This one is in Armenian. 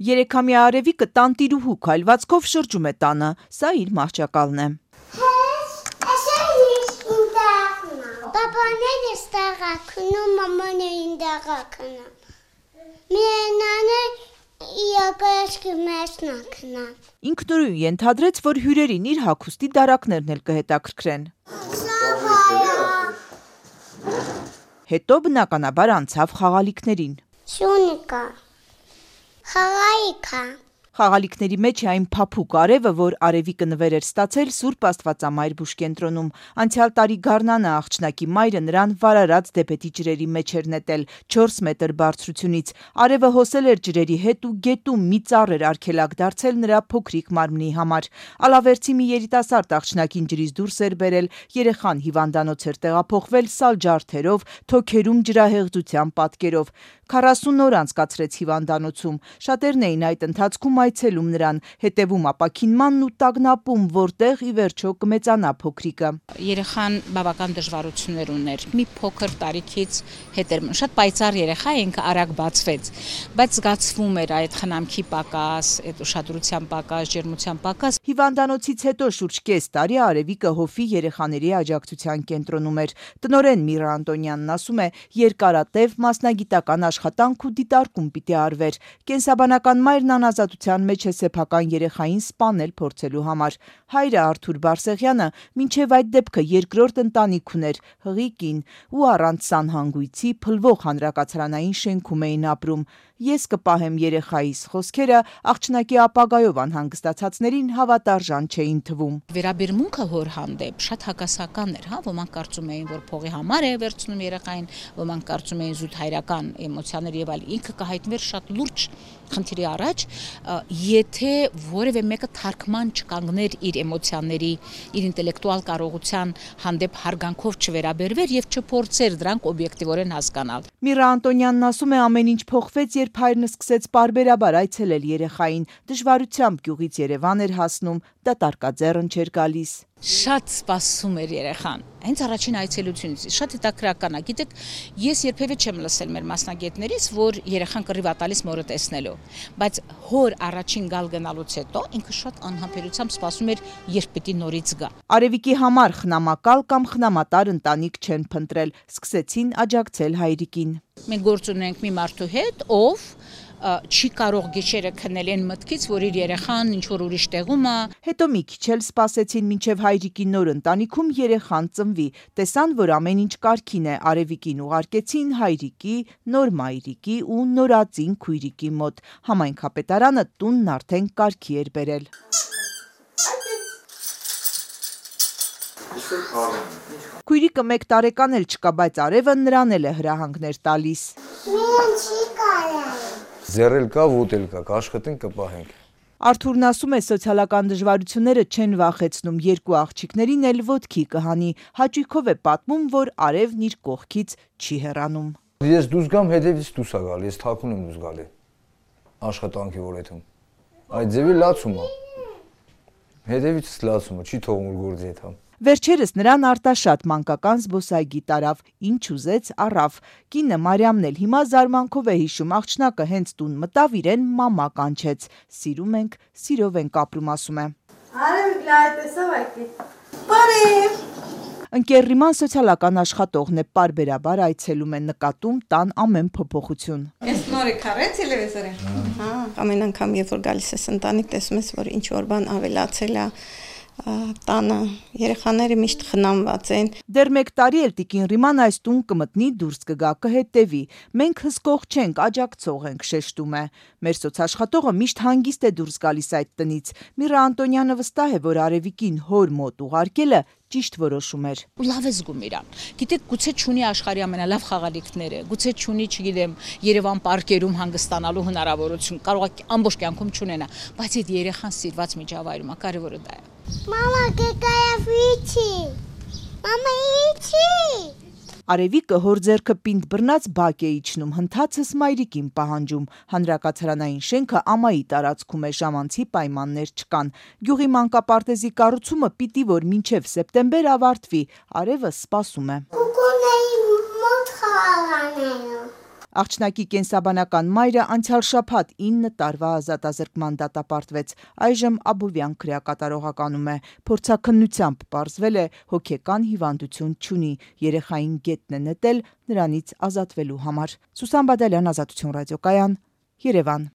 Երեքամյա Արևիկը տանտիրուհու քայլվածքով շրջում է տանը, սա իր մահճակալն է։ Պապաները ստաղա քնում, մամաներին դաղա քնում։ Միենանը իակաշկի մեջնա քնամ։ Ինքնուրույն ենթադրեց, որ հյուրերին իր հագուստի դարակներն էլ կհետաքրքրեն։ Հետո բնականաբար անցավ խաղալիքներին։ Շունիկա, խաղայիքա։ Խաղալիքների մեջ է այն փափուկ արևը, որ Արևիկը նվեր էր ստացել Սուրբ Աստվածամայր բուժկենտրոնում։ Անցյալ տարի գարնանը աղջնակի մայրը նրան վարարած դեպետի ջրերի մեջ էր նետել 4 մետր բարձրությունից։ Արևը հոսել էր ջրերի հետ ու գետում մի ծառ էր արգելակ դարձել նրա փոքրիկ մարմնի համար։ Ալավերցի մի երիտասարդ աղջնակին ջրից դուրս էր բերել, երեխան հիվանդանոց էր տեղափոխվել սալ ջարդերով, թոքերում ջրահեղձության պատկերով։ 40 օր անցկացրեց հիվանդանոցում։ Շատերն էին այդ ընթացքում այցելում նրան, հետևում ապաքինմանն ու տագնապում, որտեղ ի վերջո կմեծանա փոքրիկը։ Երեխան բավական դժվարություններ ուներ։ Մի փոքր տարիքից հետեր շատ պայծառ երեխա է, ինքը արագ բացվեց, բայց զգացվում էր այդ խնամքի պակաս, այդ ուշադրության պակաս, ջերմության պակաս։ Հիվանդանոցից հետո շուրջ կես տարի Արևիկը հովի երեխաների աջակցության կենտրոնում էր։ Տնօրեն Միրա Անտոնյանն ասում է, երկարատև մասնագիտական աշխատանք ու դիտարկում պիտի արվեր։ Կենսաբանական մայրն անազատության մեջ է սեփական երեխային սպանել փորձելու համար։ Հայրը Արթուր Բարսեղյանը մինչև այդ դեպքը երկրորդ ընտանիք ուներ, հղի կին, ու առանց սանհանգույցի փլվող հանրակացարանային շենքում էին ապրում։ Ես կպահեմ երեխայիս խոսքերը աղջնակի ապագայով անհանգստացածներին հավատարժան չէին թվում։ Վերաբերմունքը հոր հանդեպ շատ հակասական էր, ոմանք կարծում էին, որ փողի համար է վերցնում երեխային, ոմանք կարծում էին զուտ հայրական էմոցիաներ եւ այլ։ Ինքը կհայտնվեր շատ լուրջ խնդիրի առաջ, եթե որևէ մեկը թարգման չկանգներ իր էմոցիաների, իր ինտելեկտուալ կարողության հանդեպ հարգանքով չվերաբերվեր եւ չփորձեր դրանք օբյեկտիվորեն հասկանալ։ Միրա Անտոնյանն ասում է, ամեն ինչ փոխվեց, երբ հայրն սկսեց պարբերաբար այցելել երեխային, դժվարությամբ գյուղից Երևան էր հասնում, դատարկաձեռն չէր գալիս։ Շատ սպասում էր երեխան, հենց առաջին այցելությունից, շատ հետաքրքրական է, գիտեք, ես երբևէ չեմ լսել մեր մասնագետներից, որ երեխան կռիվ ա տալիս մորը տեսնելու, բայց հոր առաջին գալ գնալուց հետո ինքը շատ անհամբերությամբ սպասում էր, երբ պիտի նորից գա։ Արևիկի համար խնամակալ կամ խնամատար ընտանիք չեն փնտրել, սկսեցին աջակցել հայրիկին։ Մենք գործ ունենք մի մարդու հետ, ով չի կարող գիշերը քնել այն մտքից, որ իր երեխան ինչ-որ ուրիշ տեղում է։ Հետո մի քիչ էլ սպասեցին մինչև հայրիկի նոր ընտանիքում երեխան ծնվի։ Տեսան, որ ամեն ինչ կարգին է, Արևիկին ուղարկեցին հայրիկի, նոր մայրիկի ու նորածին քույրիկի մոտ։ Համայնքապետարանը տունն արդեն կարգի էր բերել։ Քույրիկը 1 տարեկան էլ չկա, բայց Արևը նրան էլ է հրահանգներ տալիս։ Ձեռել կա, ոտել կա, կաշխատենք, կպահենք։ Արթուրն ասում է, սոցիալական դժվարությունները չեն վախեցնում, 2 աղջիկներին էլ ոտքի կհանի։ Հաճույքով է պատմում, որ Արևն իր կողքից չի հեռանում։ Ես դուրս գամ, հետևից դուրս է գալի, ես թաքուն եմ դուրս գալի։ Աշխատանքի որեթում։ Այդ ձևի լացում է։ Հետևից լացում է, չի թողում որ գործի հետ համ։ Վերջերս նրան Արտաշատ մանկական զբոսայգի տարավ, ինչ ուզեց առավ։ Կինը Մարիամն էլ հիմա զարմանքով է հիշում, աղջնակը հենց տուն մտավ, իրեն մամա կանչեց։ Սիրում ենք, սիրով ենք ապրում, ասում է։ Արևիկ լայ տեսավ այդի։ Բարև։ Ընկերրիման սոցիալական աշխատողն է, պարբերաբար այցելում է, նկատում տան ամեն փոփոխություն։ Ես նորի քարե տելևիզորին։ Ամեն անգամ երբ որ գալիս ես ընտանիք, տեսում ես, որ ինչ որ բան ավելացել է տանը, երեխաները միշտ խնամված են։ Դեռ 1 տարի էլ տիկին Ռիման այս տուն կմտնի, դուրս կգա, կհետևի։ Մենք հսկող չենք, աջակցող ենք, շեշտում է։ Մեր սոցաշխատողը միշտ հանգիստ է դուրս գալիս այդ տնից։ Միրա Անտոնյանը վստահ է, որ Արևիկին հոր մոտ ուղարկելը ճիշտ որոշում էր։ Ու լավ է զգում իրան։ Գիտեք, գուցե չունի աշխարհի ամենալավ խաղալիքները, գուցե չունի, չգիտեմ, Երևան պարկերում հանգստանալու հնարավորություն, կարող է ամբողջ կյանքում չունենա, բայց այդ երեխան սիրված միջավայրում է, կարևորը դա է։ Մամա, կկայավիչի։ Մամա, իչի։ Արևիկը հոր ձեռքը պինդ բռնած բակ է իջնում, հնդածս մայրիկին պահանջում։ Հանրակացարանային շենքը ամայի տարածքում է, ժամանցի պայմաններ չկան։ Գյուղի մանկապարտեզի կառուցումը պիտի որ մինչև սեպտեմբեր ավարտվի, Արևը սպասում է։ Կուկունեի մոտ խաղանելու։ Աղջնակի կենսաբանական մայրը անցյալ շաբաթ 9 տարվա ազատազրկման դատապարտվեց, այժմ Աբովյան քրեակատարողականում է, փորձաքննությամբ պարզվել է հոգեկան հիվանդություն չունի, երեխային գետն է նետել նրանից ազատվելու համար։ Սուսան Բադալյան, Ազատություն ռադիոկայան, Երևան։